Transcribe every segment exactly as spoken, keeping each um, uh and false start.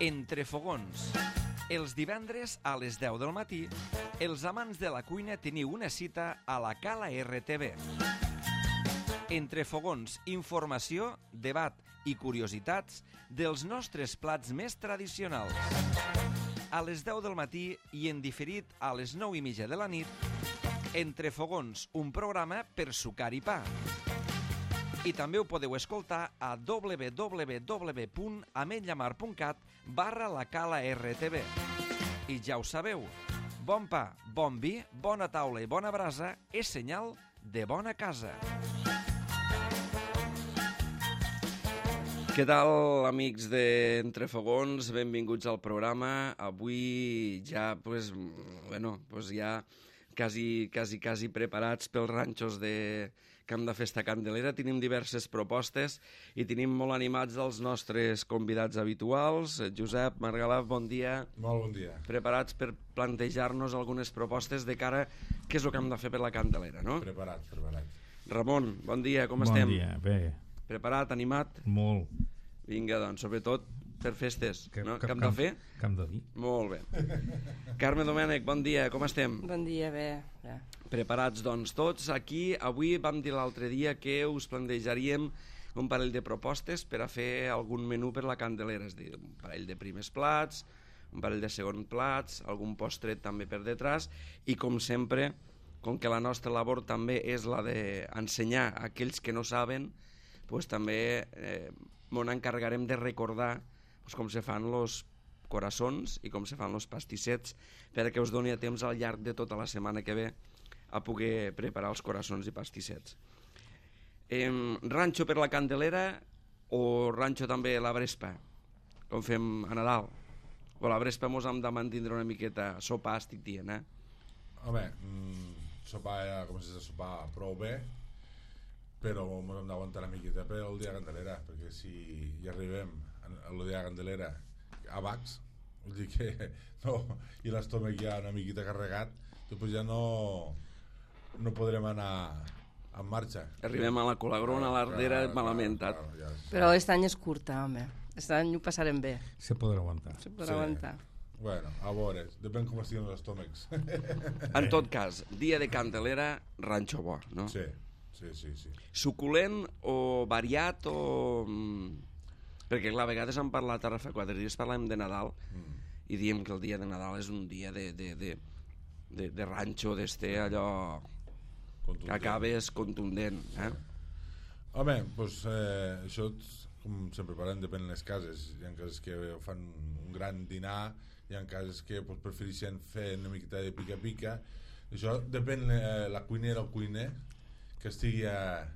Entre fogons. Els divendres a les deu del matí, els amants de la cuina teniu una cita a la Cala R T V. Entre fogons, informació, debat i curiositats dels nostres plats més tradicionals. A les deu del matí i en diferit a les nou i mitja de la nit, Entre fogons, un programa per sucar i pa. I també ho podeu escoltar a w w w punt ametlllamar punt cat barra la Cala R T V. I ja ho sabeu, bon pa, bon vi, bona taula i bona brasa és senyal de bona casa. Què tal, amics d'Entre Fogons? Benvinguts al programa. Avui ja, pues, bueno, pues ja quasi, quasi, quasi preparats pels ranxos de Camp de Festa Candelera. Tenim diverses propostes i tenim molt animats els nostres convidats habituals. Josep, Margalaf, bon dia. Molt bon dia. Preparats per plantejar-nos algunes propostes de cara a què és el que hem de fer per la Candelera, no? Preparats, preparats. Ramon, bon dia, com bon estem? Bon dia, bé. Preparat, animat? Molt. Vinga, doncs, sobretot per festes, que, no? Que, Camp de fer? Camp de vi. Molt bé. Carme Domènech, bon dia, com estem? Bon dia, bé. bé. Preparats, doncs, tots. Aquí, avui vam dir l'altre dia que us plantejaríem un parell de propostes per a fer algun menú per la Candelera, és a dir, un parell de primers plats, un parell de segons plats, algun postret també per detrás, i com sempre, com que la nostra labor també és la d'ensenyar a aquells que no saben, pues, també eh, m'ho encarregarem de recordar pues, com se fan els coraçons i com se fan els pastissets perquè us doni a temps al llarg de tota la setmana que ve a poder preparar els coraçons i pastissets. Eh, ranxo per la Candelera o ranxo també la Brespa, com fem a Nadal? O la Brespa mos hem de mantindre una miqueta sopar, estic dient, eh? Home, mmm, sopar, com si de sopar prou bé, però ens hem d'aguantar una miqueta per el dia de Candelera, perquè si hi arribem al dia de Candelera a Bacs, vull dir que no, i l'estómac ja una miqueta carregat, després ja no, no podrem anar en marxa. Arribem a la Colagrona, a l'Ardera, malament. Clar, clar, ja és... Però aquest any és curta, home. Aquest any ho passarem bé. Se podrà aguantar. Se podrà Sí. aguantar. Bueno, a veure, depèn com estiguin els estómacs. En tot cas, dia de Candelera, ranxo bo, no? Sí, sí, sí, sí. Suculent o variat o... Perquè, clar, a vegades hem parlat, ara fa quatre dies parlem de Nadal mm. i diem que el dia de Nadal és un dia de, de, de, de, de ranxo, d'este allò contundent. Que acabes contundent. Eh? Home, doncs eh, això, com sempre parlem, depèn de les cases. Hi ha cases que fan un gran dinar, hi ha cases que pues, prefereixen fer una miqueta de pica-pica. Això depèn eh, la cuinera o cuiner que estigui eh,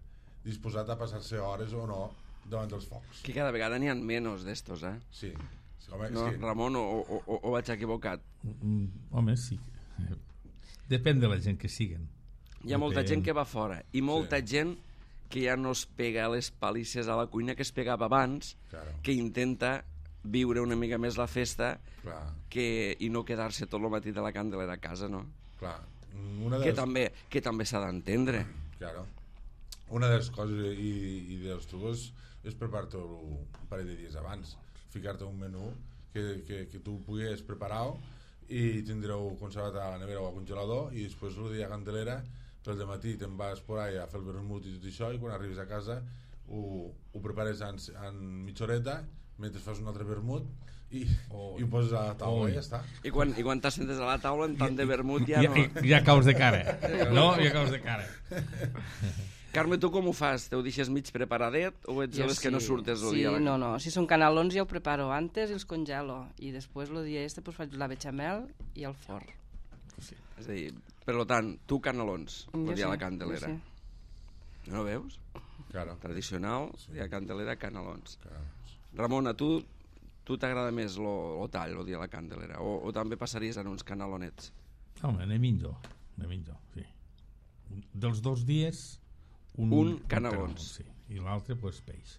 disposat a passar-se hores o no davant dels focs. Que cada vegada n'hi ha menys d'estos, eh? Sí. sí home, no, sí. Ramon, o, o, o, o vaig equivocat? Mm, home, sí. Depèn de la gent que siguen. Hi ha molta Depèn. gent que va fora i molta Sí. gent que ja no es pega les palisses a la cuina que es pegava abans, Claro. que intenta viure una mica més la festa Clar, que, i no quedar-se tot el matí de la Candelera a casa, no? clar. Una de Que les... també, que també s'ha d'entendre. Claro. Una de les coses i, i dels trucs és preparar-te un parell de dies abans, ficar-te un menú que, que, que tu puguis preparar i tindreu conservat a la nevera o al congelador i després el dia de Candelera pel dematí te'n vas por ahí a fer el vermut i tot això i quan arribes a casa ho, ho prepares en, en mitja horeta mentre fas un altre vermut i, oh. i ho poses a la taula oh. i ja està. I quan, i quan t'assentes a la taula en tant de vermut ja Ja, no... ja caus de cara. No? Ja caus de cara. Carme, tu com ho fas? Te ho deixes mig preparadet o ets de les que no surtes el sí, dia? no, no. Si són canelons ja ho preparo antes i els congelo. I després el dia este pues, faig la bechamel i el forn. Sí. És a dir, per tant, tu canelons el dia de la Candelera. Sí. No veus? Claro. Tradicional, Sí. dia de Candelera, canelons. Claro. Ramon, a tu tu t'agrada més lo, lo tall el dia de la Candelera o, o també passaries en uns canelonets? Home, anem millor. Anem millor, sí. Dels dos dies... Un, Un un canelons. Sí. I l'altre, pues, peix.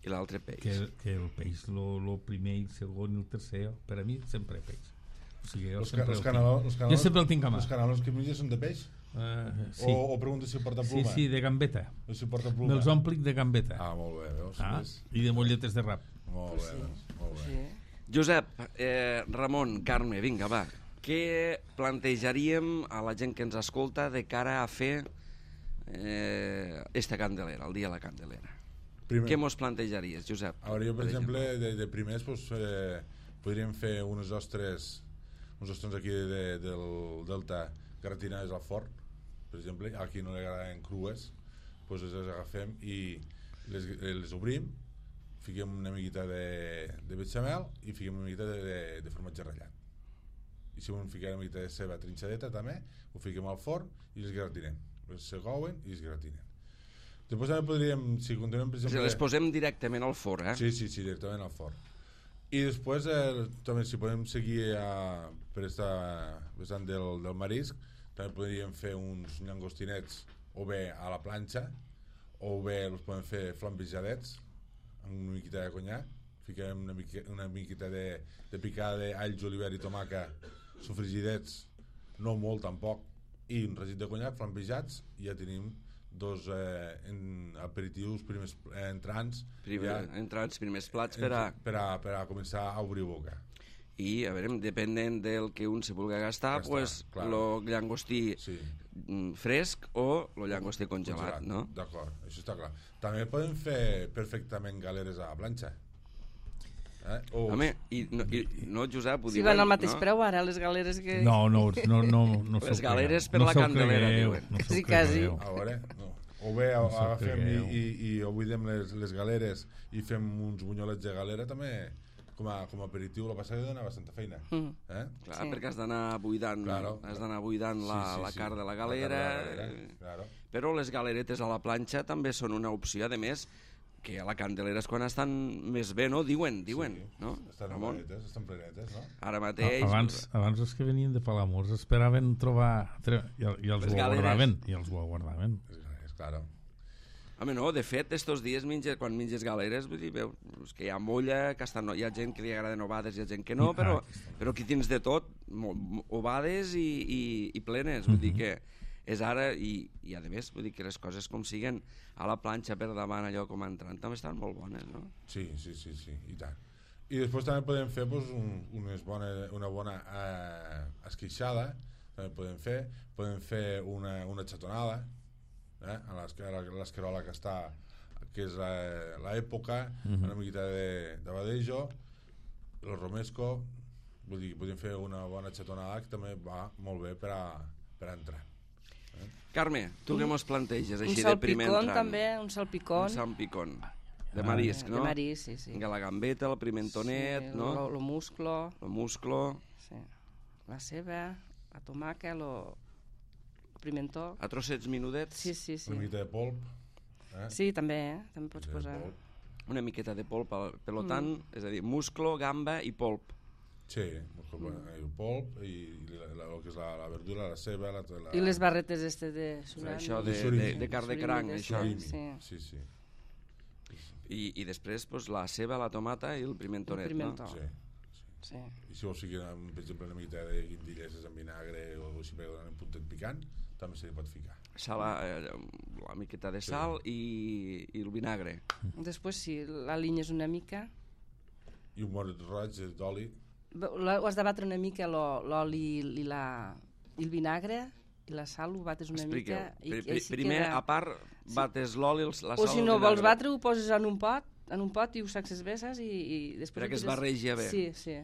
I l'altre peix. Que, que el peix, lo, lo primer, el segon i el tercer, per a mi sempre peix. O sigui, jo Els, sempre, els el canelons, tinc, els canelons, jo sempre el tinc a mà. Els canelons que menges són de peix? Uh, sí. O, o pregunta si porta sí, pluma? sí, de gambeta. O si porta pluma? Me'ls omplic de gambeta. Ah, molt bé, veus? Ah, Ves? i de molletes de rap. Molt bé, Sí. doncs, molt bé. Sí. Josep, eh, Ramon, Carme, vinga, va. Què plantejaríem a la gent que ens escolta de cara a fer eh, esta Candelera, el dia de la Candelera? Primer, Què mos plantejaries, Josep? a veure, jo, per exemple, de, de primers pues, eh, podríem fer unes ostres uns ostres aquí de, del Delta gratinades al forn, per exemple. Aquí no li agraden crues, pues les agafem i les, les obrim, fiquem una miqueta de, de bechamel i fiquem una miqueta de, de, de formatge ratllat. I si volem ficar una miqueta de ceba trinxadeta també, ho fiquem al forn i les gratinem. Les segouen i es gratinen. Després també podríem, si continuem, per exemple... Les posem directament al forn, eh? Sí, sí, sí, directament al forn. I després, eh, també, si podem seguir a, per esta vessant del, del marisc, també podríem fer uns llangostinets o bé a la planxa, o bé els podem fer flambejadets amb una miqueta de conyac, fiquem una, mica, una miqueta de, de picada d'all, julivert i tomaca, sofrigidets, no molt tampoc, i un regit de conyac, flambejats, i ja tenim dos eh, en aperitius primers eh, entrants, Primer, ja, entrants, primers plats per a... per a, per a començar a obrir boca. I, a veure, depenent del que un se vulgui gastar, Gastar, pues, clar. lo llangostí Sí. fresc o lo llangostí congelat, no? D'acord, això està clar. També podem fer perfectament galeres a la planxa. Eh? O... Home, i no, i, no Josep, ho Si diuen, van al mateix no? preu ara, les galeres que... No, no, no, no, no Les s'ho galeres cregueu. per no la s'ho Candelera, cregueu, diuen. no s'ho Quasi, quasi. cregueu. A veure, no. O bé No s'ho agafem i, cregueu. i, i o buidem les, les galeres i fem uns bunyolets de galera també com a, com a aperitiu. La passada dona bastanta feina. Mm. Eh? Clar, Sí. perquè has d'anar buidant, Claro. has d'anar buidant la, Sí, sí, la sí. carn de la La galera, carn de la galera, eh, claro. però les galeretes a la planxa també són una opció, a més, que a la Candelera és quan estan més bé, no? Diuen, diuen, Sí. no? Estan Ramon? plenetes, estan plenetes, no? Ara mateix... Abans, abans els que venien de Palamós esperaven trobar... Tre... I, i els Les ho galeres. aguardaven. I els ho aguardaven. És, és claro. Home, no, de fet, estos dies menges, quan menges galeres, vull dir, veus que hi ha molla, que estan, hi ha gent que li agraden ovades, hi ha gent que no, I- però, ah, però aquí tens de tot, mo- mo- ovades i, i, i plenes, vull dir que és ara, i, i a més, vull dir que les coses com siguen a la planxa per davant, allò com entrant, també estan molt bones, no? Sí, sí, sí, sí, i tant. I després també podem fer pues, un, unes bona, una bona eh, esqueixada, també podem fer, podem fer una, una xatonada, eh, a l'esca- a l'escarola que està, que és la- l'època, Mhm. una miqueta de, de badejo, el romesco, vull dir, podem fer una bona xatonada que també va molt bé per a, per a entrar. Carme, tu què mos planteges Un així de primer salpicón entrant? també, un salpicón. Un salpicón. De marisc, Eh, no? De marisc, sí, sí. La gambeta, el pimentonet, sí, no? Lo, lo musclo, El musclo, sí. La ceba, la tomaca, lo, el pimentó. a trossets menudets, Sí, sí, sí. Una miqueta de polp, eh? Sí, també, eh? També pots de posar. polp. una miqueta de polp, al- per lo tant, és a dir, musclo, gamba i polp. Sí, el polp i, i la, la, el que és la, la verdura, la ceba, la, la... I les barretes este de surimi. Això de, surimi. de, de carn de Surimi cranc, de això. surimi. Surimi. Sí. Sí, sí. I, I després pues, la ceba, la tomata i el pimentonet, El pimentó. no? Sí. Sí. I si vols ficar, per exemple, una miqueta de guindilles amb vinagre o així per donar un puntet picant, també se li pot ficar. Sala, eh, la miqueta de sal i, i el vinagre. Després, si l'alinyes una mica, I un bon roig d'oli. la- ho has de batre una mica lo- l'oli i, la, i el vinagre i la sal, ho bates una Expliqueu. mica. I, Pri, i pri, així primer, queda... a part, bates l'oli, els- la sal O si i el no vols vinagre. batre, ho poses en un pot, en un pot i ho sacs besses i, i després... Perquè ho es tires- barregi bé. Sí, sí.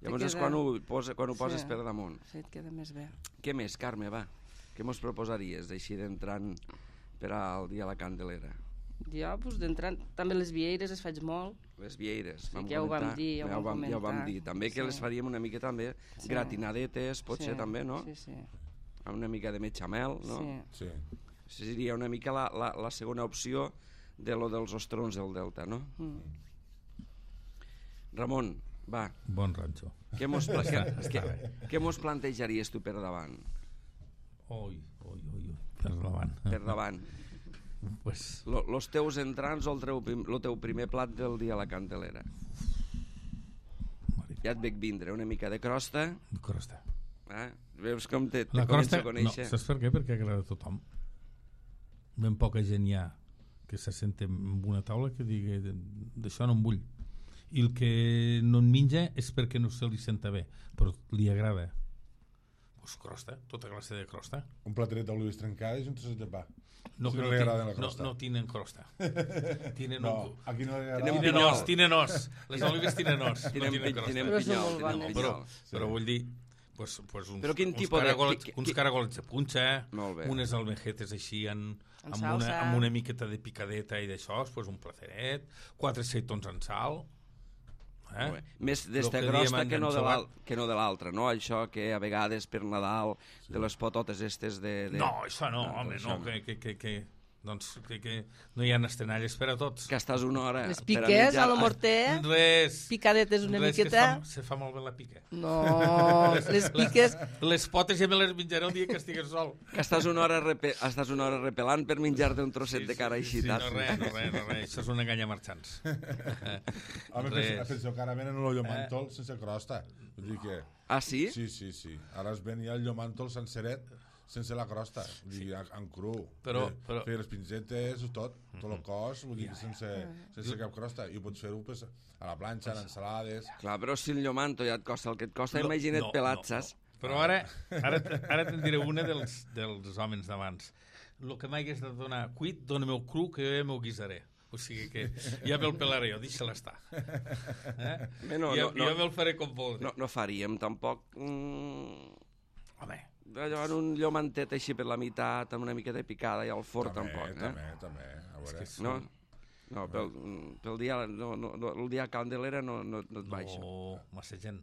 Llavors Te és queda- quan ho, posa, quan ho poses Sí. per damunt. Sí, et queda més bé. Què més, Carme, va? Què mos proposaries així d'entrant per al dia de la Candelera? Jo, doncs, d'entrant, també les vieires les faig molt. Les vieires, Sí, vam que ja ho vam comentar. dir, ja ho ja ho vam vam, ja ho vam comentar. dir. També que Sí. les faríem una mica també Sí. gratinadetes, potser Sí, també, no? Sí, sí. Amb una mica de metxamel, no? Sí. Sí. Seria una mica la, la, la segona opció de lo dels ostrons del Delta, no? Mm. Ramon, va, Bon ranxo. què mos, pla què, què, què mos plantejaries tu per davant? Oi, oi, oi, oi. Per davant. Per davant. Pues, Lo, los teus entrants o el teu, prim- lo teu primer plat del dia a la Candelera? mare, Ja et veig vindre una mica de crosta, crosta. eh? Veus com te, te La començo crosta, a no, conèixer? saps per què? Perquè agrada a tothom. Ben poca gent hi ha que se senta en una taula que digui d'això no en vull. i el que no en menja és perquè no se li senta bé, però li agrada. Pues crosta, tota classe de crosta. Un plateret d'olives trencades i un trosset de pa. No, Si que no no, li ti- agrada la no, crosta. no tenen crosta. Tienen No, un... aquí no li Tenen agrada. Tinen pinyol. os, tinen os. Les olives tinen os, no Tenen, tinen pi- crosta. tenen Però són pinyol, molt tenen bones. Però, pinyol. però vull dir, pues, pues uns, Però quin uns, tipus de- caragolets, qui- uns qui- caragolets de punxa, Molt bé. unes almejetes així en, En amb, una, salsa. amb una miqueta de picadeta i d'això, pues un placeret, quatre seitons en sal. Eh? Molt bé. Més Lo d'esta que crosta diem que no, de ensobat. l'al- que no de l'altra, no? Això que a vegades per Nadal, de les pototes estes de... de... No, això no, Ah, home, això no, no. que, que, que, que, doncs, que, que no hi ha estenalles per a tots. Que estàs una hora... Les per a piques mitjar- a lo morter, Res, picadetes una res, que es miqueta. fa, se fa molt bé la pica. No, les piques... Les potes ja me les menjaré el dia que estigues sol. Que estàs una hora, repe... estàs una hora repelant per menjar-te un trosset de cara sí, així. sí, taps. no, res, no, res, no, res. Això és un engany a marxants. Home, Res. penseu, penseu que ara venen el llomàntol sense crosta. Vull dir que... Ah, sí? Sí, sí, sí. Ara es ven ja el llomàntol senceret sense la crosta, vull dir, en, en cru. Però- Fer- però- Fer les pinzetes, tot, tot el cos, vull dir, sense, sense cap crosta. I ho pots fer-ho pues, a la planxa, en ensalades... Clar, però si el llomanto ja et costa el que et costa, No, imagina't no, pelat, no, saps? no. Però ara, ara, ara te'n diré una dels, dels homes d'abans. El que m'hagués de donar cuit, dona-me-ho cru, que jo ja m'ho guisaré. O sigui que ja me'l pelaré jo, deixa-la estar. Eh? Bé, no, ja, no, no. ja me'l faré com vulgui. No, no faríem tampoc... Mm, Home, allò en un llomantet així per la meitat, amb una mica de picada i al forn també, tampoc, eh? també, també. A veure. que sí. No? No, pel, pel dia, no, no, no, el dia Candelera no, no, no et baixa. no, massa gent.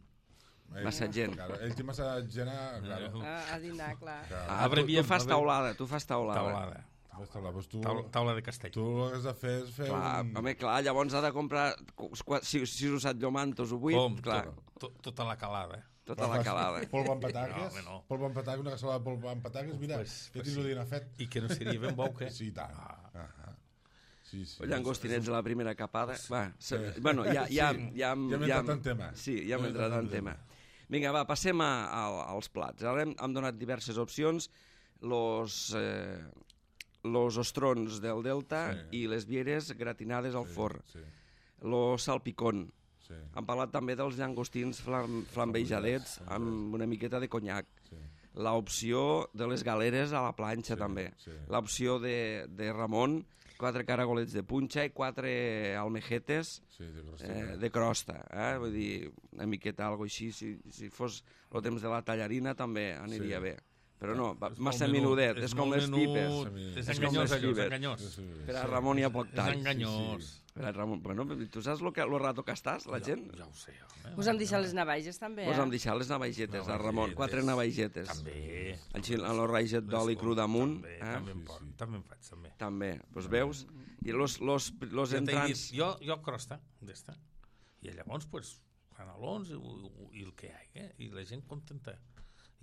Ell- Massa gent. Claro, ell té massa gent a... Claro. A, a dinar, clar. Claro. Ah, tu, tu Abreviam, fas abre- taulada, tu fas taulada. Taulada. Pues, taula, pues tu, Taula, taula de castell. tu el que has de fer és fer Clar, un... home, clar, llavors ha de comprar qu- si, si has usat llomantos o vuit, Com, clar, tot, tot, tota la calada. tota la calada. Polvo amb pataques, No, home, no. polvo amb pataques, una cassola de polvo amb pataques, mira, Pues- ja pues tens sí. el dia fet. I que no seria ben bo, que... Sí, i tant. Ah. Ah. Sí, sí. Llangostinets de la primera capada. Va, se, bueno, ja, ja, Sí, ja, ja hem entrat en tema. Sí, ja hem entrat en tema. Vinga, va, passem a, a, als plats. Ara hem, hem donat diverses opcions. Los, eh, los ostrons del Delta Sí. i les vieres gratinades al forn. Sí, Lo salpicón. sí, Hem parlat també dels llangostins flam, flambejadets amb una miqueta de conyac. sí. L'opció de les galeres a la planxa, Sí, també. sí. L'opció de, de Ramon, quatre caragolets de punxa i quatre almejetes Sí, de crosteta. eh, de crosta. Eh? Vull dir, una miqueta, algo així. Si, si fos el temps de la tallarina també aniria Sí. bé. Però no, va, És massa molt menudet, menut, és, com molt les menut, pipes. És És com enganyós, les allò, és fibres. enganyós. Sí, sí, sí. Per a Ramon hi ha poc És tall. enganyós. Per a Ramon, bueno, tu saps lo, que, lo rato que estàs, la gent? Ja ho sé. home. Us hem deixat les navaixes, també, Us eh? hem deixat les navaixetes, a Ramon, Navaixetes. quatre navaixetes. També. Així, amb el raget d'oli cru damunt. També, Eh? també, em Sí, pot, sí. també em faig, també. També, doncs veus? I los, los, los Ja t'he entrants... dit, jo, jo crosta, d'esta. I llavors, pues, canelons i, i, i el que hi ha, eh? I la gent contenta.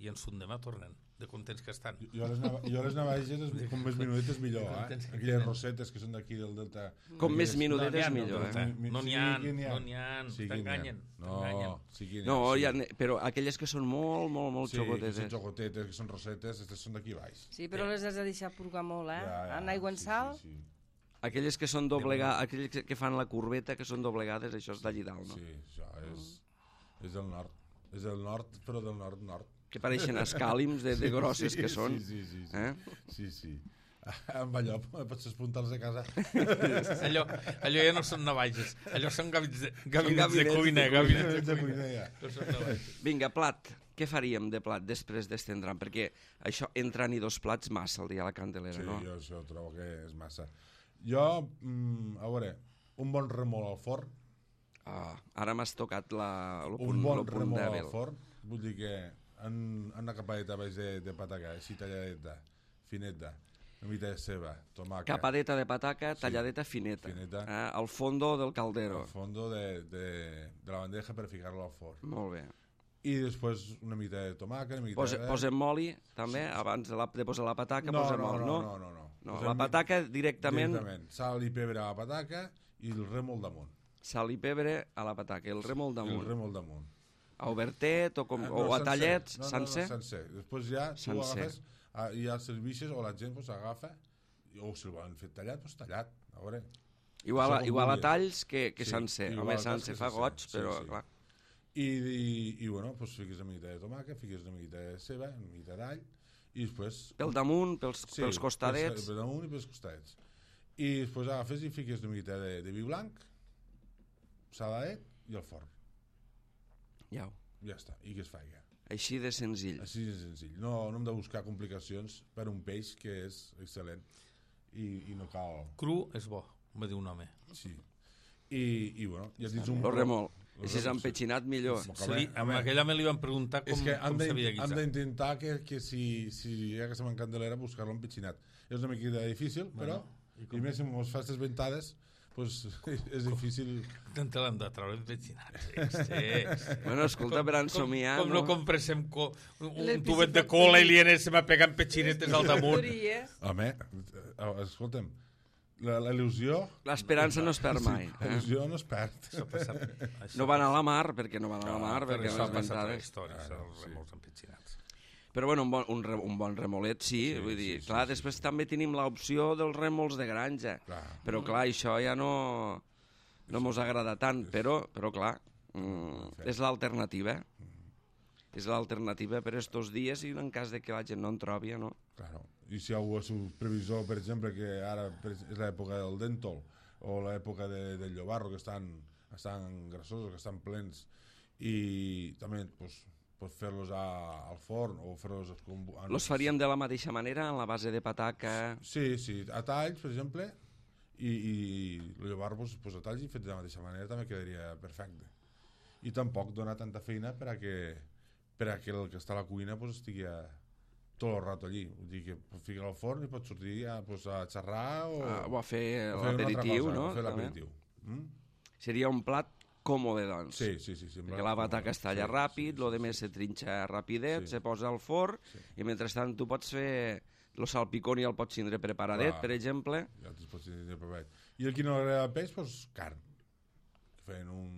I ens demà tornen, de contents que estan. Jo les, nava jo les navaixes, és- com més minudetes millor, eh? Aquelles rosetes que són d'aquí del Delta. Com més Aquelles- minudet No n'hi és ha, millor, no, eh? Mi- mi- No n'hi sí, ha, que n'hi ha. no n'hi ha, Sí, que n'hi ha. t'enganyen, No, t'enganyen. sí que n'hi ha. No, sí. hi ha, però aquelles que són molt, molt, molt Sí, que xocotetes. són xocotetes, que són rosetes, aquestes són d'aquí baix. Sí, però les has de deixar purgar molt, eh? Ja, ja, En aigua en sí, sal. Sí, sí. Aquelles que són doblegades, aquelles que- que fan la corbeta, que són doblegades, això és d'allí dalt, no? Sí, això és, és del nord. És del nord, però del nord-nord. Que pareixen escàlims de, de grosses que són. Sí, sí, sí. Eh? Sí, sí. Amb allò, pots espuntar-los de casa. Allò, allò ja no són navaixes, allò són gabinets de, gabinets gabinets de de cuina, cuina. gabinets de de cuina. cuina, ja. No són navaixes. Vinga, plat. Què faríem de plat després d'estendran? Perquè això entran i dos plats massa el dia a la Candelera, Sí, no? jo això trobo que és massa. Jo, mm, a veure, un bon remol al forn, Ah, ara m'has tocat la, el un punt, bon el punt remol dèbil. al forn, vull dir que en, en una capadeta baix de, de pataca, així talladeta, fineta, una mica de ceba, tomàquet, Capadeta de pataca, talladeta fineta. fineta. Eh? Al fondo del caldero. al fondo de, de, de la bandeja per ficar-lo al forn. Molt bé. I després una mica de tomàquet, una mica Posa, de... posem oli, també, abans de, la, de posar la pataca, no, posem no, oli, no, no? no, no, no. No, Posem la pataca directament, directament. Sal i pebre a la pataca i el remol damunt. sal i pebre a la pataca, el rem al El damunt. remol damunt. A obertet o, com, Ah, o no, a tallets, no, no, sencer? No, sencer. Després ja tu Sencer. agafes, ah, i ja serveixes o la gent pues, agafa, o si el volen fer tallat, doncs tallat. A veure, Igual, Això com igual a vulguis. talls que, que Sí, sencer. igual Home, a talls sencer que fa sencer. goig, Sí, però sí. clar. I, i, i bueno, pues fiques una miqueta de tomàquet, fiques una miqueta de ceba, una miqueta d'all, i després... Pel damunt, pels, Sí, pels costadets. Per damunt i pels costadets. I després agafes i fiques una miqueta de, de vi blanc, saladet i al forn. Ja, Ja està, i que es faig. així de senzill. Així de senzill. No, no hem de buscar complicacions per un peix que és excel·lent i, i no cal... Cru és bo, em va dir un home. Sí. I, i bueno, ja tens un... Lo remol. Lo I si és remol, empetxinat, millor. Sí. Se li, amb aquell home li van preguntar com, És que han com de- s'havia han guisat. d'intentar que, que si, si hi ha aquesta mancandelera buscar-lo empetxinat. És una miqueta difícil, però i i, com- més si mos fas les ventades pues, és difícil. Te l'han de treure empetxinats. Sí. Bueno, escolta, per ensomiar... Com, com no compressem co, un, Les un tubet de piscifactories. cola i li anem a pegar empetxinetes al damunt. Factories. Home, eh, escolta'm, la, la il·lusió... L'esperança no es perd mai. La Eh? il·lusió no es perd. Això passa, això No van a la mar, perquè no van a la mar, però perquè això les ha passat a la ventades... història, Ah, els sí. remols empetxinats. Però bueno, un bon, un, re, un bon remolet sí, Sí, vull dir, sí, sí, clar, sí, després sí. també tenim l'opció dels remols de granja, Clar. però clar, això ja no, no mos agrada tant, però, però clar, mm, és l'alternativa, és l'alternativa per estos dies i en cas de que la gent no en trobi, no? Claro. I si algú és un previsor, per exemple, que ara per- és l'època del dèntol o l'època de, del llobarro, que estan, estan grassosos, que estan plens, i també pues, pues fer-los a- al forn o fer-los... com- en- Los faríem de la mateixa manera, en la base de pataca... Sí, sí, a talls, per exemple, i, i el llobarro pues, pues, a talls i fet de la mateixa manera també quedaria perfecte. I tampoc dona tanta feina per a que, per a que el que està a la cuina pues, estigui a, tot el rato allí. Vull dir que pues, fica al forn i pot sortir a, pues, a xerrar o, Ah, o a fer o fer una altra l'aperitiu, cosa, no? o fer També. l'aperitiu. Mm? Seria un plat còmode, doncs. Sí, sí, sí. sí Perquè la pataca es talla sí, ràpid, sí, lo sí, de més se trinxa rapidet, Sí. se posa al forn, Sí. i mentrestant tu pots fer... El salpicón ja el pots tindre preparadet, Clar. per exemple. Ja te'ls pots tenir preparat. I el qui no agrada el peix, doncs carn. Fent un,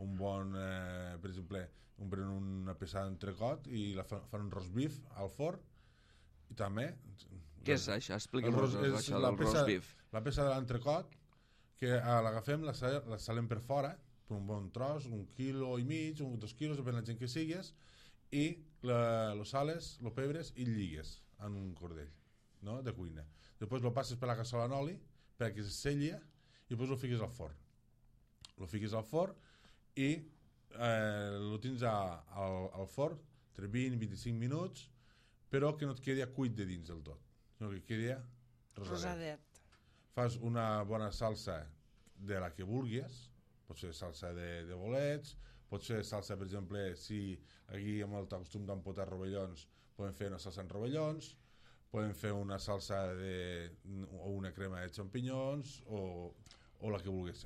un bon, eh, per exemple, un, pren una peça d'entrecot i la fan, fan un roast beef al forn i també... Què és això? El Expliqui'm roast- és això la del peça- roast beef. La peça de l'entrecot, que eh, l'agafem, la, sa- la salem per fora, per un bon tros, un quilo i mig, un, dos quilos, depèn de la gent que sigues, i la, lo sales, lo pebres i lligues en un cordell, no?, de cuina. Després lo passes per la cassola en oli perquè se selli i després lo fiques al forn. Lo fiques al forn i eh, lo tens a, al, al forn entre vint i vint-i-cinc minuts, però que no et quedi cuit de dins del tot, sinó que quedi rosadet. Rosadet. Fas una bona salsa de la que vulguis, pot ser salsa de, de bolets, pot ser salsa, per exemple, si aquí amb el costum d'empotar rovellons, podem fer una salsa en rovellons, podem fer una salsa de, o una crema de xampinyons o, o la que vulguis.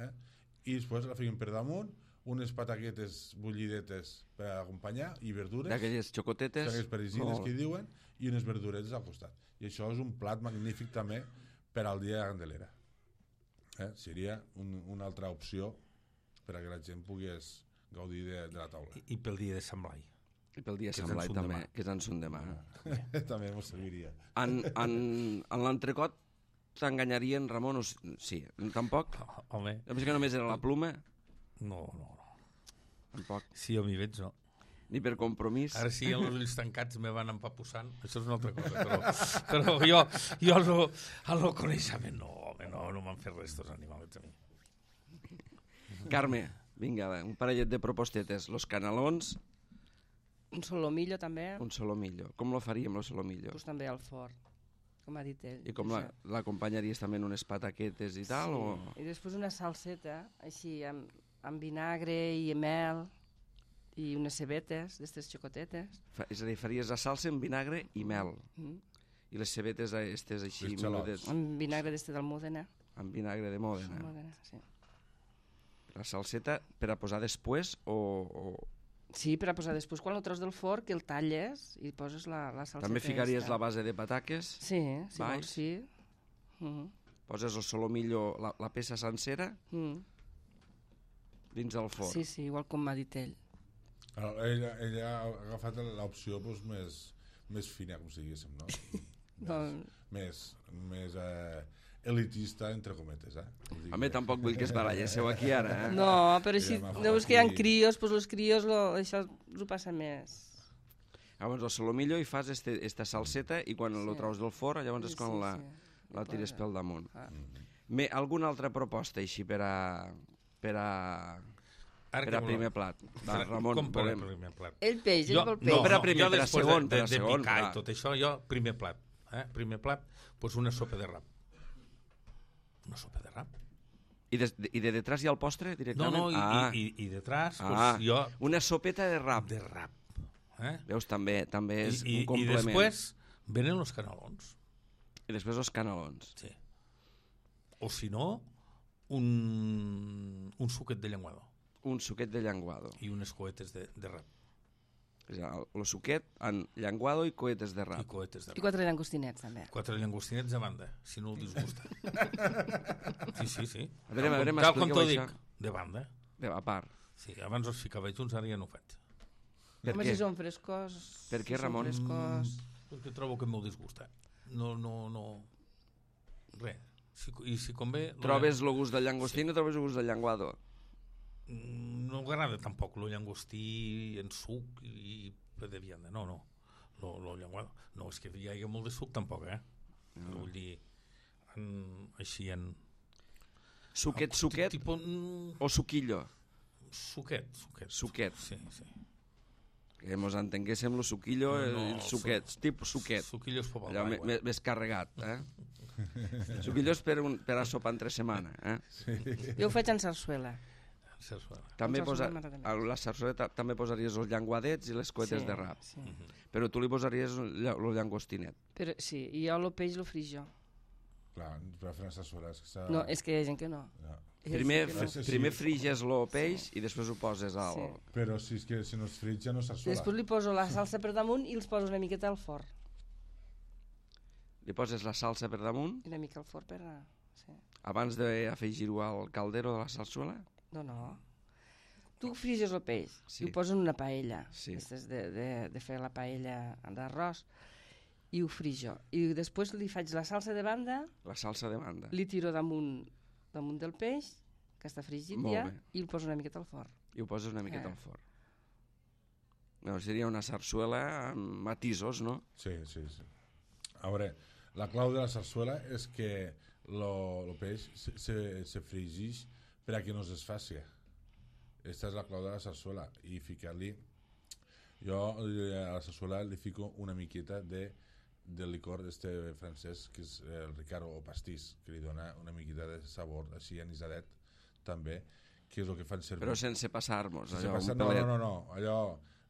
Eh? I després la fiquem per damunt, unes pataquetes bullidetes per acompanyar i verdures, D'aquelles xocotetes. aquelles parisines Molt. que diuen, i unes verduretes al costat. I això és un plat magnífic també per al dia de Candelera. Eh? Seria un, una altra opció per a que la gent pogués gaudir de, de la taula. I, I pel dia de Sant Blai. I pel dia de Que és Sant Blai en son també, demà. que és en son demà. També m'ho serviria. En, en, en l'entrecot t'enganyarien, Ramon? O... s- Sí, tampoc? Home, És que només era la pluma? no, no, no. Tampoc. Si jo m'hi veig, no. Ni per compromís? Ara sí, amb els ulls tancats me van empapussant, això és una altra cosa, però, però jo, jo al, no, al no coneixement no, home, no, no m'han fet res tots animalets a mi. Carme, vinga, va, un parellet de propostetes. Los canelons, Un solomillo també, un solomillo. Com lo faríem, lo solomillo? pues també al forn, com ha dit ell. I com la- Això. l'acompanyaries també en unes pataquetes i tal? O... I després una salseta, així, amb, amb vinagre i mel i unes cebetes, d'estes xocotetes. Fa, és a dir, faries la salsa amb vinagre i mel. Mm. I les cebetes aquestes així, Les xalots. menudes, Amb vinagre d'este d'Almúdena. amb vinagre de Mòdena. Almúdena, sí. La salseta per a posar després o, o... Sí, per a posar després, quan el treus del forn, que el talles i poses la, la salseta. També ficaries esta. la base de pataques, Sí, si Baix. vols, sí. Mm poses el solomillo, la, la peça sencera, -hmm. dins del forn. Sí, sí, igual com m'ha dit ell. Ara, ella, ella ha agafat l'opció doncs, més, més fina, com si diguéssim, no? Doncs, més, més eh, elitista, entre cometes, eh? Home, tampoc vull que es baralléssiu aquí ara, eh? No, però així, Ja m'ha veus que hi ha aquí. crios, doncs els crios lo, això ho passa més. Llavors, el solomillo i fas este, esta salseta i quan Sí. lo treus del forn, llavors és quan Sí, la, sí. la tires pel damunt. Ah. Me, alguna altra proposta així per a, per a, Ara per que a voleu. primer plat? Va, Ramon, Com per a volem... primer plat? El peix, ell Jo, vol no, peix. per a primer, jo per a després segon, de, per a de, de segon, picar clar. i tot això, jo, primer plat. Eh? Primer plat, doncs una sopa de rap. Una sopa de rap. I de, I de detrás hi ha el postre, No, directament? no, i, ah. i, i, i detrás, ah. doncs jo... Una sopeta de rap. De rap. Eh? Veus, també també és I, un i, I complement. després venen els canelons. I després els canelons. Sí. O si no, un, un suquet de llenguador Un suquet de llenguado. i unes coetes de, de rap. És a dir, el suquet en llenguado i coetes de I rap. coetes de I rap. quatre llangostinets, també. Quatre llangostinets a banda, si no el disgusta. Sí, sí, sí. A veure, a veure, Tal com m'expliqueu t'ho dic, això. de banda. De, a part. Sí, abans els ficava junts, ara ja no ho faig. Per Home, què? si són frescos... Per què, si són Ramon? Frescos... Perquè trobo que m'ho disgusta. No, no, no... Res. Si, I si convé... Trobes el gust del llangostí i no trobes el gust del llenguado? No m'agrada tampoc el llangostí en suc i de vianda. No, no. Lo, lo llenguado. No, és que hi hagi molt de suc tampoc, eh? No. Vull dir, en, així en... Suquet, en- suquet Tipo, mm, o suquillo? suquet, suquet. Suquet. Sí, sí. Que mos entenguéssim el suquillo i No, el suquet, su- tipus suquet. Suquillos per Allò me- l'aigua. me- més carregat, eh? Suquillo és per, un, per a sopar entre setmana, eh? Jo ho faig en sarsuela. Sarsuela. També Amb posa, sarsuela m'agrada més. a la sarsuela ta- també posaries els llenguadets i les coetes Sí, de rap. Sí. Però tu li posaries el lla- el llangostinet. Però, sí, i jo el peix lo frijo. Clar, per fer una sarsuela és que s'ha... No, és que hi ha gent que no. Ja. Hi ha Primer, gent que no. Sí, sí. primer friges el peix i després ho poses al... Sí. Però si, és que, si no es frit ja no és sarsuela. Després li poso la salsa per damunt i els poso una miqueta al forn. Li poses la salsa per damunt I una mica al forn per... a- Sí. abans d'afegir-ho al caldero de la salsuela. No, no. Tu friges el peix Sí. i ho poses en una paella. Sí. Aquestes de, de, de fer la paella d'arròs. I ho frijo. I després li faig la salsa de banda, La salsa de banda. li tiro damunt, damunt del peix, que està frigit Molt ja, bé. i el poso una miqueta al forn. I ho poses una miqueta Eh. al forn. No, seria una sarsuela amb matisos, no? Sí, sí, sí. A veure, la clau de la sarsuela és que el peix se, se, se fregeix per a que no es desfaci. Aquesta és la clau de la sarsuela. I ficar-li... Jo eh, a la sarsuela li fico una miqueta de, de licor d'este francès, que és el Ricard o pastís, que li dona una miqueta de sabor, així anisadet, també, que és el que fan servir. Però sense passar-nos. Sense Allò, passar, un no, pelet. no, no, no, allò,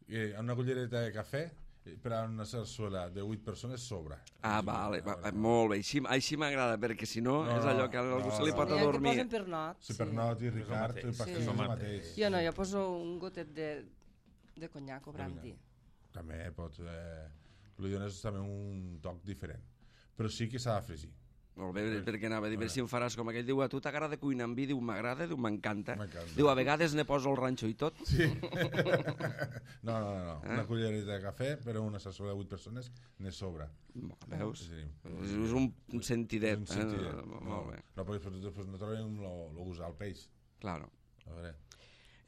eh, una cullereta de cafè eh, per a una sarsuela de vuit persones sobra. Ah, vale, va, va, molt bé. Així, així m'agrada, perquè si no, No, és allò que a algú no, se li no, pot no. Hi ha que adormir. posen per not. Si per not i Ricard, mateix. el pastís Sí. és el Sí. mateix. Jo no, jo poso un gotet de, de conyac o brandy. També pot... Eh, li dones també un toc diferent. Però sí que s'ha de fregir. Molt bé, perquè anava a dir, si em faràs com aquell, diu, a tu t'agrada cuinar amb vi? Diu, m'agrada, diu, m'encanta. M'encanta. Diu, a vegades ne poso el ranxo i tot. Sí. no, no, no, no. Una cullereta de cafè per a una sarsuela de vuit persones ne sobra. Veus? Sí. És un, un sentidet. Un sentidet. Eh? No, Molt bé, no, perquè després no trobem el gust al peix. claro. A veure...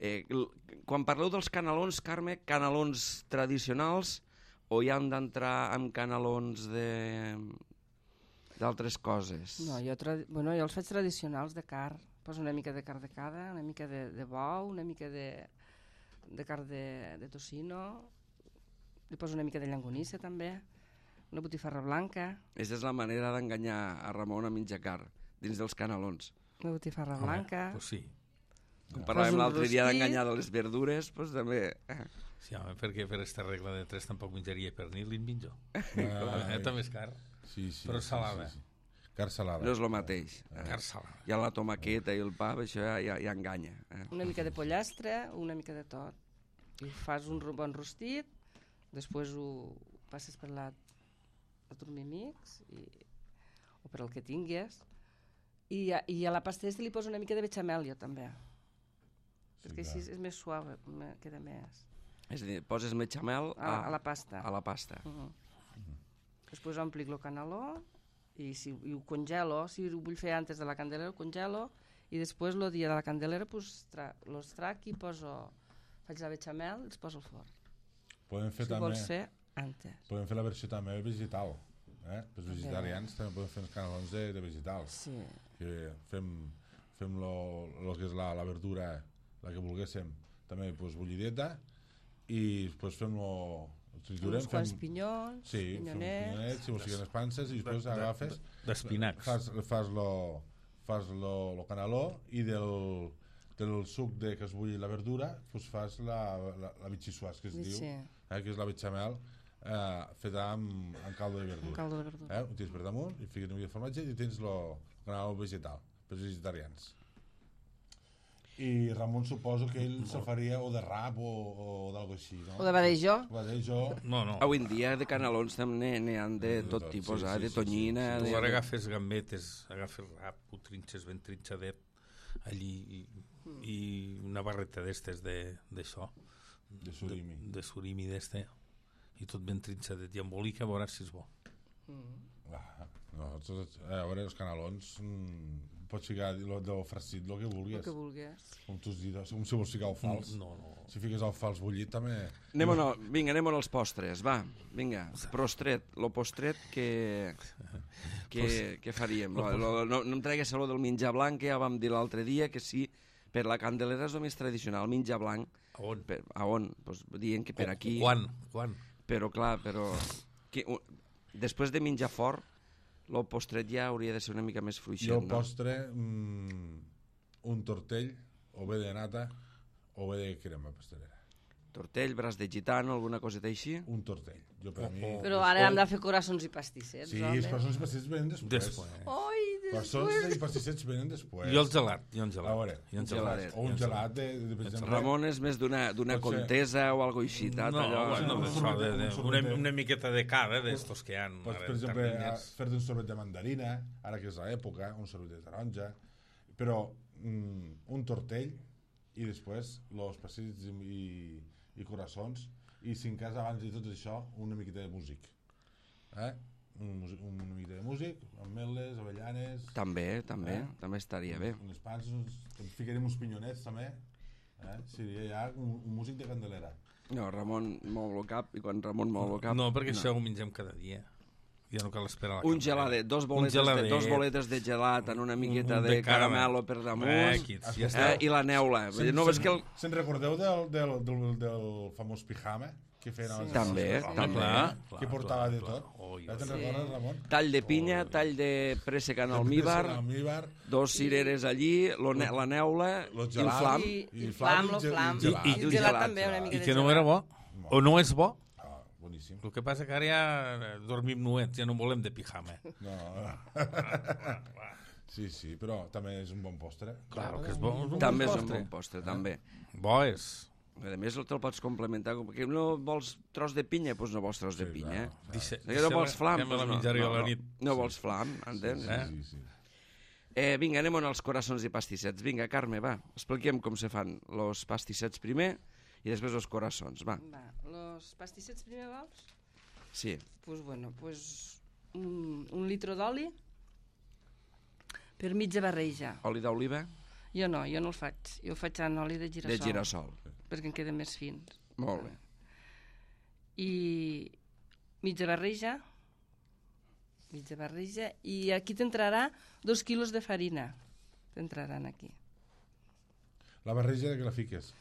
Eh, l- quan parleu dels canelons, Carme, canelons tradicionals o hi han d'entrar amb canelons de d'altres coses? No, jo, tradi... bueno, jo els faig tradicionals de carn. Poso una mica de carn de cada, una mica de, de bou, una mica de, de carn de, de tocino, li poso una mica de llangonissa també, una botifarra blanca, Aquesta és la manera d'enganyar a Ramon a menjar carn, dins dels canelons. una botifarra Home, blanca. Pues sí. Com parlàvem Fas un l'altre dia rostit. d'enganyar de les verdures, doncs també... Eh, Sí, home, perquè per aquesta regla de tres tampoc menjaria pernil i en menjo. Ah, Eh, també és car. sí, sí, Però sí, salada. Sí, sí. Carn salada. no és el mateix. Eh? Car salada. Ja la tomaqueta i el pa, això ja, ja, ja enganya. Eh? Una mica de pollastre, una mica de tot. I fas un ro- bon rostit, després ho passes per la, el turmimix, i, o per el que tingues, i a, i a la pasta aquesta li poso una mica de bechamel jo també, Sí, perquè clar. així és més suau, me- queda més És a dir, poses bechamel a, a la pasta. a la pasta. Uh -huh. Després omplic el caneló I, si, i ho congelo, si ho vull fer antes de la candelera, ho congelo, i després el dia de la candelera pues, tra los trac i poso, faig la bechamel i els poso al forn. Podem fer Si també... vols fer antes. Podem fer la versió també vegetal. Eh? Els vegetarians també podem fer els canelons de, de vegetal. Sí. Que fem, fem lo, lo que és la, la verdura, la que volguéssim, també pues, bullideta, i després fem lo... Uns quants pinyons, sí, pinyonets... pinyonets, si vols siguen les panses, i després de, de, agafes... D'espinacs. Fas, fas lo, fas lo, lo caneló i del, del suc de que es bulli la verdura pues fas la, la, la bitxissuàs, que es Sí. diu, eh, que és la bechamel eh, feta amb, amb caldo de verdura. Un caldo de verdura. Eh? Ho tens per damunt, i fiques una mica de formatge i tens lo caneló vegetal, per als vegetarians. I Ramon suposo que ell se faria o de rap o, o d'algo així, no? O de badejó. Badejó. No, no. Avui en dia de canelons també n'hi ha de De tot tot, tipus, sí, eh? sí, de sí, tonyina... sí, sí. de- Tu ara agafes gambetes, agafes rap, ho trinxes ben trinxadet allí i, i una barreta d'estes d'això, De surimi. de, de surimi d'este, i tot ben trinxadet i embolica, a veure si és bo. Ah, no, tot, eh, a veure, els canelons mm, pots ficar lo, del farcit el que vulguis, El que vulguis. com tu has dit, com si vols ficar el fals. No, no. Si fiques el fals bullit també... Anem no. Vinga, anem als postres, va, vinga, prostret, lo postret que, que, que faríem. Lo, lo, no, no em tregues lo del menjar blanc, que ja vam dir l'altre dia, que sí, per la candelera és el més tradicional, menjar blanc. A on? Per, a on? Pues, dient que per aquí... Quan? Quan? Però clar, però... Que, uh, després de menjar fort, el postret ja hauria de ser una mica més fluixet, Jo el no? postre, mm, un tortell, o bé de nata, o bé de crema pastelera. Tortell, braç de gitano, alguna coseta així? Un tortell. Jo per a mi... Però ara hem de fer coraçons i pastissets, Sí, home. els passons i pastissets venen després. Després. Ai, Passons després... i pastissets venen després. I el gelat, i el A gelat. veure, I el geladet. o un gelat de, de, per exemple... Ramon és més d'una d'una Pot ser. contesa o algo així, tat, No, allò... bueno, un això sorbet, de, un de, sorbet. una, una miqueta de cada d'estos que hi ha. Pots, per exemple, a- fer-te un sorbet de mandarina, ara que és l'època, un sorbet de taronja, però mm, un tortell i després els pastissets i, i, i coraçons, i si en cas abans de tot això, una miqueta de músic. Eh? Un, músic- una miqueta de músic, ametlles, avellanes... També, també, Eh? també estaria bé. Unes pans, uns, ficarem uns pinyonets també, eh? Seria ja un, un músic de candelera. No, Ramon mou el cap, i quan Ramon mou el cap... No, perquè això ho mengem cada dia. Ja no cal esperar la Un candelera. geladet, dos boletes, geladet. de, dos boletes de gelat en una miqueta Un de, de caramelo caramel. per Eh, damunt, quiets, eh, ja està. i la neula. Se'n, No ves se'n- que el... se'n recordeu del, del, del, del famós pijama que feien abans? També, abans? també. Clar, Que portava clar, de clar. tot. Oi, Ja te'n oi. recordes, Ramon? Tall de pinya, tall de préssec en almíbar, Almíbar, dos cireres allí, lo ne la neula Lo i el gelat. flam. I, I i flam, flam, lo i ge- flam. i gelat. I I el gelat, gelat també, una gelat. mica I de que no gelat. era bo, o no és bo. Ah, boníssim. El que passa que ara ja dormim nuets, ja no volem de pijama. No. Sí, sí, però també és un bon postre. Claro que és bo. És un També és bon un postre. bon postre, també. Bo és. A més, te'l pots complementar. Com que no vols tros de pinya, doncs no vols tros de Sí, pinya. clar. Dice, Que no vols flam, que me la doncs no, menjaré no, a la no, nit. no vols flam, entens? Eh? Sí, sí. Eh, vinga, anem als coraçons i pastissets. Vinga, Carme, va, expliquem com se fan els pastissets primer i després els coraçons, va. Va, los pastissets primer vols? Sí, Pues bueno, pues un, un litro d'oli per mitja barreja. oli d'oliva Jo no, jo no el faig. Jo el faig en oli de girassol. de girassol. Perquè em queden més fins. Molt bé. I mitja barreja, mitja barreja, i aquí t'entrarà dos quilos de farina. T'entraran aquí. La barreja de que la fiques.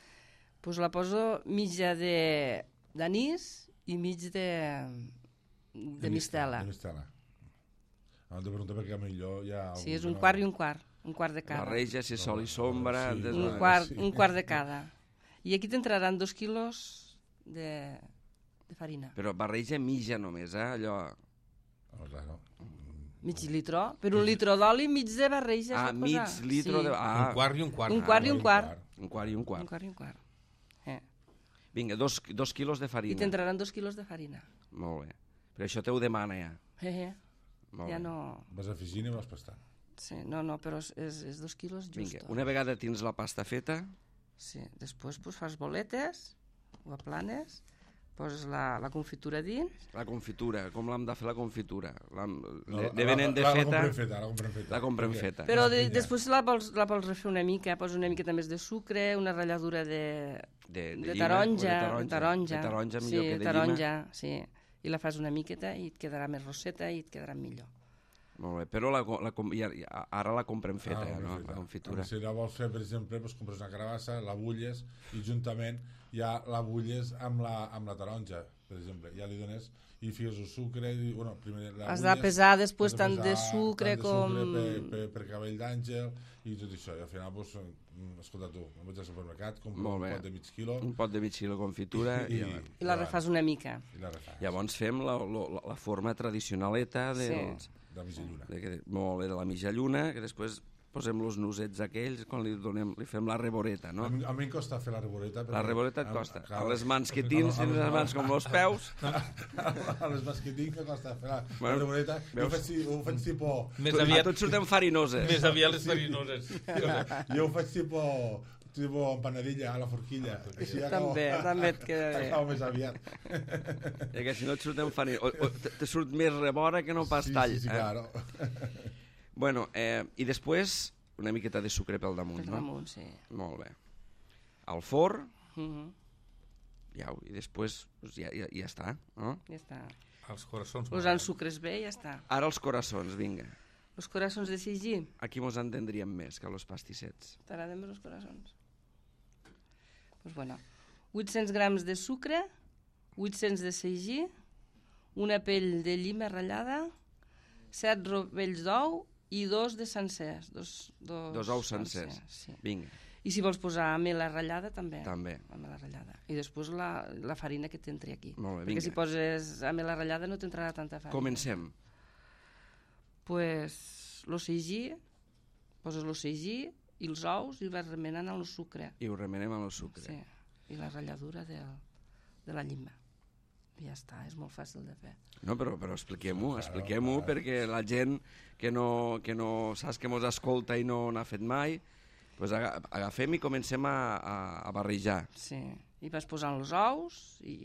Pues la poso mitja de d'anís i mig de, de mistela. De mistela. Abans de preguntar perquè millor hi ha... Sí, és un quart i un quart. Un quart de cada. Barreja, si sol i sombra... Sí. des- Un Ah, quart, sí. un quart de cada. I aquí t'entraran dos quilos de, de farina. Però barreja mitja només, eh? Allò... Oh, claro. Mig litró. Per un litró d'oli, mig de barreja. Ah, s'ha de mig posar. litro Sí. de... Ah, Un quart i un quart. Un quart i un quart. un quart i un Un quart. quart i un quart. Eh. Vinga, dos, dos quilos de I farina. t'entraran dos quilos de farina. Molt bé. Però això te ho demana ja. Eh, eh. Molt Ja bé. no... Vas afegint i vas pastant. Sí, no, no, però és, és, és dos quilos just. Vinga, una vegada tens la pasta feta, Sí, després pues, fas boletes, ho aplanes, poses la, la confitura dins. La confitura, com l'hem de fer la confitura? L'hem- No, de, la- de venen de la- la feta, comprem feta, la comprem feta. la comprem Perquè- feta. Però de, pinya. després la vols, la vols refer una mica, poses una miqueta més de sucre, una ratlladura de, De, de, llima o taronja, de de taronja, De taronja sí, millor que de taronja, sí. I la fas una miqueta i et quedarà més rosseta i et quedarà millor. llima. Molt bé, però la, la, com- ja, ja- ara la comprem feta, Ah, ja, no? feta. La confitura. Si la vols fer, per exemple, doncs compres una carabassa, la bulles i juntament ja la bulles amb la, amb la taronja, per exemple. Ja li dones i fiques el sucre i, bueno, primer la Has de bulles, pesar després has tant de pesar sucre tant de com... sucre per, per, per cabell d'àngel i tot això. I al final, doncs, mm, escolta tu, em vaig al supermercat, compro Molt un bé. pot de mig quilo Un pot de mig quilo de confitura i, i, i, I la refas una mica. i la refas. llavors fem la, la, la forma tradicionaleta Sí. dels, De mitja lluna. de, que- molt bé, de la mitja lluna, que després posem els nusets aquells quan li, donem, li fem la reboreta, no? A, mi, a mi em costa fer la reboreta. La perquè- reboreta et a- costa. clar, A les mans que a- tens, a- tens les mans com els peus. A les mans que tinc, que costa fer la, Bueno, la reboreta. Jo veus? ho faig, ti- ho faig tipus... Més A aviat, tu et surten farinoses. més aviat les farinoses. Jo ho faig tipus tipo empanadilla a la forquilla. Així acabo, També, també et queda bé. acabo més aviat. I que si no et surten farinoses. O, o te, te surt més rebora que no pas sí, tall. Sí, sí, eh? claro. Bueno, eh, i després una miqueta de sucre pel damunt, Per no? damunt, sí. Molt bé. Al forn, Mhm, ja, i després pues, ja, ja, ja està, no? ja està. Els coraçons. Posant sucres bé i ja està. Ara els coraçons, vinga. Els coraçons de Sigí. Aquí mos entendríem més que els pastissets. T'agraden més els coraçons? Pues bueno, vuit-cents grams de sucre, vuit-cents de sagí, una pell de llima ratllada, set rovells d'ou i dos de sencers. Dos, dos, Dos ous sencers. Sí. Vinga, I si vols posar amela ratllada, també. també. Amela ratllada. I després la, la farina que t'entri aquí. Molt bé, Perquè vinga. si poses amela ratllada no t'entrarà tanta farina. Comencem. Pues lo sagí, poses lo sagí i els ous i ho vas remenant amb el sucre. I ho remenem amb el sucre. Sí, i la ratlladura del, de la llima. I ja està, és molt fàcil de fer. No, però, però expliquem-ho, expliquem-ho, clar. perquè la gent que no, que no saps que mos escolta i no n'ha fet mai, pues aga- agafem i comencem a, a, a barrejar. Sí, i vas posant els ous i,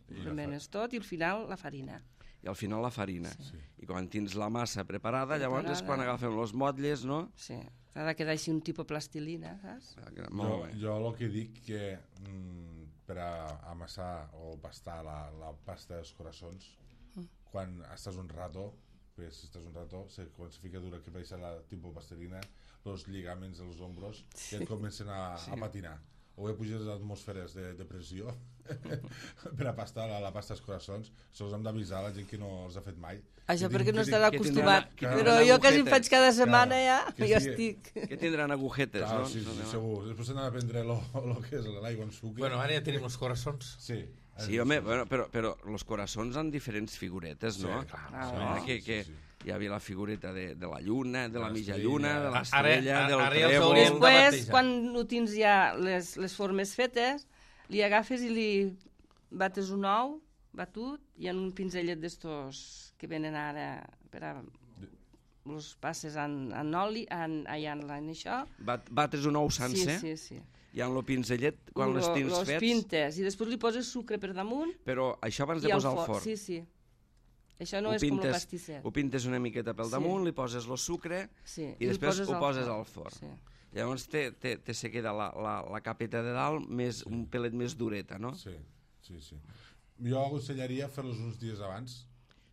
I I remenes tot i al final la farina. I al final la farina. Sí. I quan tens la massa preparada, llavors és Preparada. quan agafem els motlles, no? Sí, ha de quedar així un tipus plastilina, saps? Jo, Molt bé. jo el que dic que mm, per a amassar o pastar la, la pasta dels coraçons, Mm. quan estàs un rato, pues, si estàs un rato, se, quan se fica dura que baixa la tipus plastilina, els lligaments dels ombros sí. ja et comencen a, sí. a patinar. O bé puges les atmosferes de, de pressió per a pastar la, la pasta als coraçons. Sols hem d'avisar la gent que no els ha fet mai. Això Que perquè tinc- no que estarà que acostumat. tindran- que Però tindran jo que si em agujetes. faig cada setmana Clar, ja, que jo sí. estic. Que tindran agujetes, Clar, no? sí, sí, No, no. segur. Després s'han de prendre lo, lo que és l'aigua amb sucre. Bueno, ara ja tenim els coraçons. Sí. Sí, home, bueno, però, però els coraçons han diferents figuretes, no? Sí, clar, Ah, Sí, no? que, que sí, sí. hi havia la figureta de, de la lluna, de la De mitja l'estrella. lluna, de Ara- l'estrella, ara- del ara ja els trèvol... hauríem de Després, batejar. quan ho tens ja les, les formes fetes, li agafes i li bates un ou batut i en un pinzellet d'estos que venen ara per a els passes en, en oli, en, ai, en, en això. Bat, bates un ou sencer Sí, sí, sí. i amb el pinzellet, quan Lo- les tens los fets... pintes i després li poses sucre per damunt Però això abans de i al posar al forn. forn. Sí, sí. Això no Ho és com el pintes- pastisset. Ho pintes una miqueta pel Sí. damunt, li poses el sucre Sí. i després ho al poses al forn. Sí. Llavors te, te, te se queda la, la, la capeta de dalt més, un pelet més dureta, no? Sí, sí, sí. Jo aconsellaria fer-los uns dies abans,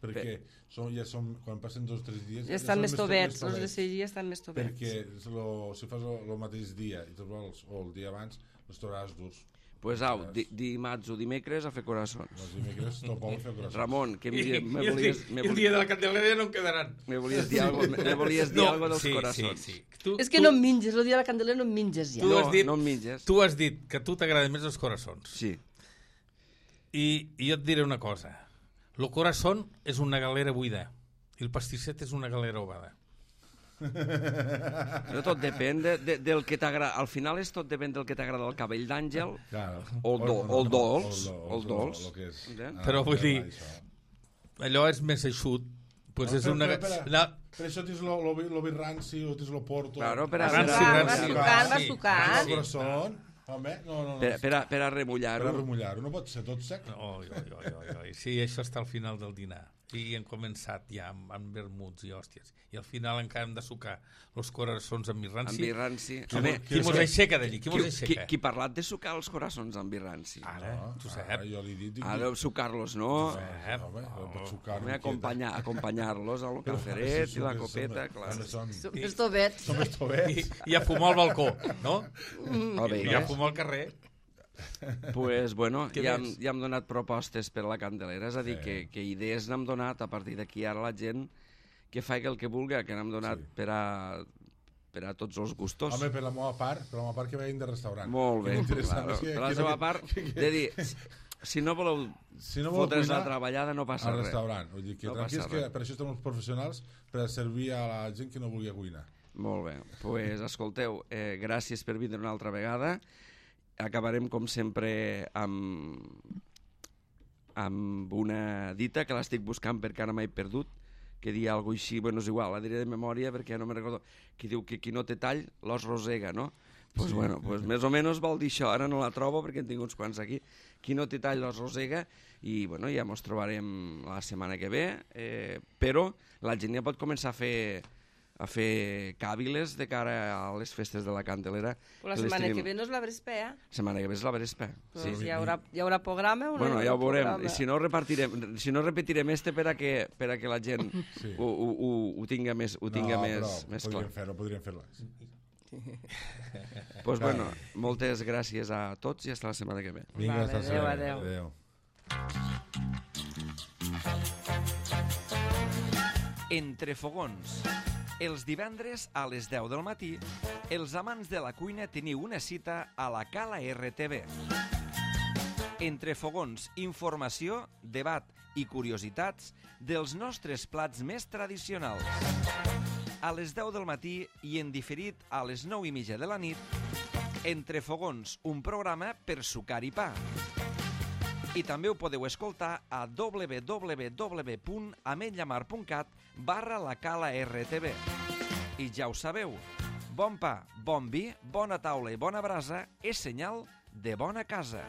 perquè són, ja són, quan passen dos o tres dies... Ja estan són més to- tovets, els de tovets. seguir estan més tovets. Perquè lo, si fas el mateix dia i te'ls vols, o el dia abans, els trobaràs durs. Pues au, di, dimarts o dimecres a fer coraçons. Els dimecres te'l poden fer coraçons. Ramon, que I, me, i, me el, volies, dia, me, el volies, dia de la Candelera no en quedaran. me volies dir algo, me, me volies dir algo dels sí, coraçons. Sí, sí. Tu, És que tu, no em menges, el dia de la Candelera no em menges ja. Tu No, has dit- no em menges. tu has dit que a tu t'agraden més els coraçons. Sí. I, I jo et diré una cosa. El corazón és una galera buida i el pastisset és una galera ovada. No, tot depèn de, de, del que t'agrada. Al final és tot depèn del que t'agrada el cabell d'àngel Claro. o el, do, o el dolç. O el dolç. Lo que és. Eh? Ah, Però vull dir, això. allò és més eixut. Pues No, és però- una... però, espera. la... Per això tens lo, lo, vi- lo vi ranci o tens lo porto. Claro, per a- Ranci, per a- ranci. Va sucant, va Sí. sucant. El corazón. Home, no, no, no. Per, per, a, per a Per remullar-ho. a remullar-ho. No pot ser tot sec. Oi, oi, oi, oi, oi. Sí, això està al final del dinar. I hem començat ja amb, amb vermuts i hòsties. I al final encara hem de sucar els coraçons amb vi ranci. Amb vi ranci. Qui, Home, qui mos aixeca d'allí? Qui mos qui, aixeca? qui parlat de sucar els coraçons amb vi ranci? Ara, No, tu ara, saps. jo li dic... dic- Ara, sucar-los, no? Eh, Home, no pot sucar Home, acompanyar, acompanyar-los al caferet i la copeta, clar. Som, Som els tobets. som els I, tobets. I a fumar al balcó, no? Molt bé, I a eh? fumar al carrer. Pues, bueno, Què ja, hem, més? ja hem donat propostes per a la Candelera, és a dir, Sí. que, que idees n'hem donat, a partir d'aquí ara la gent que faci el que vulgui, que n'hem donat Sí. per, a, per a tots els gustos. Home, per la meva part, per la meva part que vegin de restaurant. Molt bé, Que m'interessa claro. més que- Per la que- seva que- part, que- de dir, si no voleu Si no vol fotre's la cuinar, treballada, no passa al res. restaurant. Vull dir que No tranquils, passa que res. per això estem els professionals, per a servir a la gent que no vulgui cuinar. Molt bé, doncs pues, escolteu, eh, gràcies per vindre una altra vegada. Acabarem, com sempre, amb, amb una dita que l'estic buscant perquè ara m'he perdut, que dia alguna així, bueno, és igual, la diré de memòria perquè ja no me'n recordo, que diu que qui no té tall, l'os rosega, no? Pues Sí. bueno, pues més o menys vol dir això, ara no la trobo perquè en tinc uns quants aquí. Qui no té tall, l'os rosega, i bueno, ja ens trobarem la setmana que ve, eh, però la gent ja pot començar a fer a fer càviles de cara a les festes de la Candelera. La les setmana tenim- que ve no és la Brespea. Setmana que ve és la Vespa. Pues Sí. hi, haurà, hi haurà programa o no Bueno, hi ja haurà ho veurem. programa? I si no, repartirem, si no repetirem este per a que, per a que la gent Sí. ho, ho, ho, ho tinga més, ho tinga no, més, però més clar. podríem fer-ho, podríem fer-ho. Pues, bueno, moltes gràcies a tots i fins la setmana que ve. Vinga, Vale, hasta adéu, sempre. adéu. Adéu. Entre fogons. Els divendres a les deu del matí, els amants de la cuina teniu una cita a la Cala R T V. Entre fogons, informació, debat i curiositats dels nostres plats més tradicionals. A les deu del matí i en diferit a les nou i mitja de la nit, Entre fogons, un programa per sucar i pa. I també ho podeu escoltar a w w w punt ametllamar punt cat barra la Cala R T V. I ja ho sabeu, bon pa, bon vi, bona taula i bona brasa és senyal de bona casa.